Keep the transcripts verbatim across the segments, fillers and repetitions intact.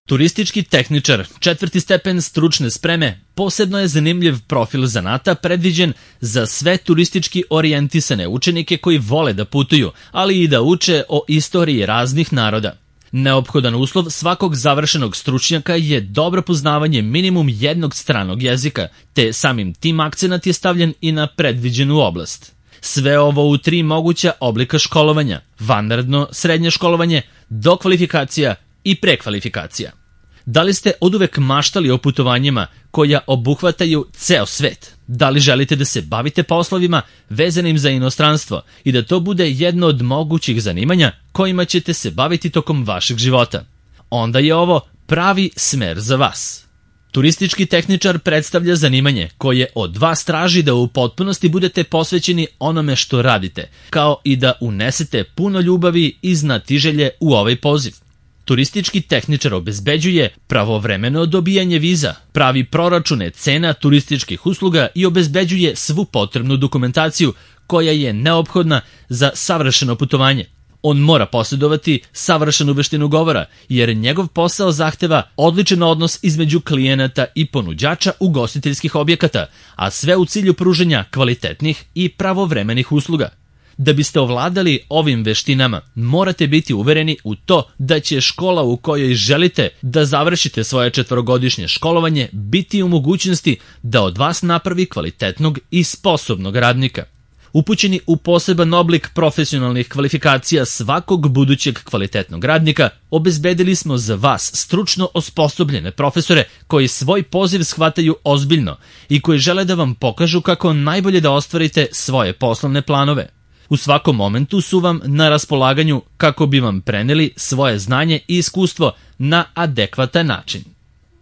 Turistički tehničar, četvrti stepen stručne spreme, posebno je zanimljiv profil zanata predviđen za sve turistički orijentisane učenike koji vole da putuju, ali i da uče o istoriji raznih naroda. Neophodan uslov svakog završenog stručnjaka je dobro poznavanje minimum jednog stranog jezika, te samim tim akcenat je stavljen i na predviđenu oblast. Sve ovo u tri moguća oblika školovanja: vanredno, srednje školovanje, dokvalifikacija i prekvalifikacija. Da li ste oduvek maštali o putovanjima koja obuhvataju ceo svet? Da li želite da se bavite poslovima vezanim za inostranstvo i da to bude jedno od mogućih zanimanja kojima ćete se baviti tokom vašeg života? Onda je ovo pravi smer za vas. Turistički tehničar predstavlja zanimanje koje od vas traži da u potpunosti budete posvećeni onome što radite, kao i da unesete puno ljubavi i znatiželje u ovaj poziv. Turistički tehničar obezbeđuje pravovremeno dobijanje viza, pravi proračune cena turističkih usluga i obezbeđuje svu potrebnu dokumentaciju koja je neophodna za savršeno putovanje. On mora posjedovati savršenu veštinu govora, jer njegov posao zahteva odličan odnos između klijenata i ponuđača ugostiteljskih objekata, a sve u cilju pružanja kvalitetnih i pravovremenih usluga. Da biste ovladali ovim veštinama, morate biti uvereni u to da će škola u kojoj želite da završite svoje četvorogodišnje školovanje biti u mogućnosti da od vas napravi kvalitetnog i sposobnog radnika. Upućeni u poseban oblik profesionalnih kvalifikacija svakog budućeg kvalitetnog radnika, obezbedili smo za vas stručno osposobljene profesore koji svoj poziv shvataju ozbiljno i koji žele da vam pokažu kako najbolje da ostvarite svoje poslovne planove. U svakom momentu su vam na raspolaganju kako bi vam preneli svoje znanje i iskustvo na adekvatan način.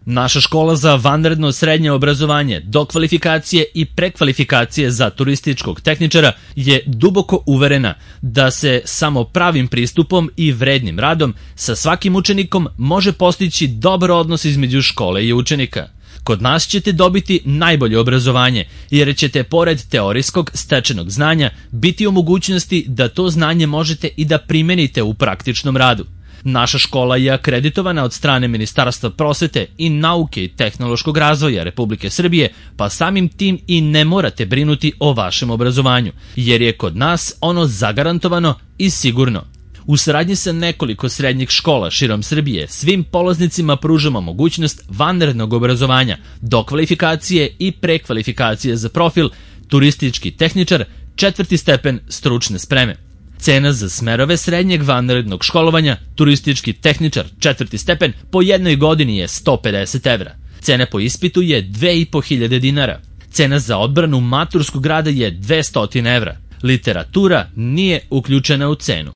Naša škola za vanredno srednje obrazovanje, dokvalifikacije i prekvalifikacije za turističkog tehničara je duboko uverena da se samo pravim pristupom i vrednim radom sa svakim učenikom može postići dobar odnos između škole i učenika. Kod nas ćete dobiti najbolje obrazovanje, jer ćete pored teorijskog stečenog znanja biti u mogućnosti da to znanje možete i da primenite u praktičnom radu. Naša škola je akreditovana od strane Ministarstva prosvete i nauke i tehnološkog razvoja Republike Srbije, pa samim tim i ne morate brinuti o vašem obrazovanju, jer je kod nas ono zagarantovano i sigurno. U saradnji sa nekoliko srednjih škola širom Srbije svim polaznicima pružamo mogućnost vanrednog obrazovanja, dokvalifikacije i prekvalifikacije za profil turistički tehničar, četvrti stepen stručne spreme. Cena za smerove srednjeg vanrednog školovanja, turistički tehničar, četvrti stepen, po jednoj godini je sto pedeset evra. Cena po ispitu je dve i po hiljade dinara. Cena za odbranu maturskog rada je dvesta evra. Literatura nije uključena u cenu.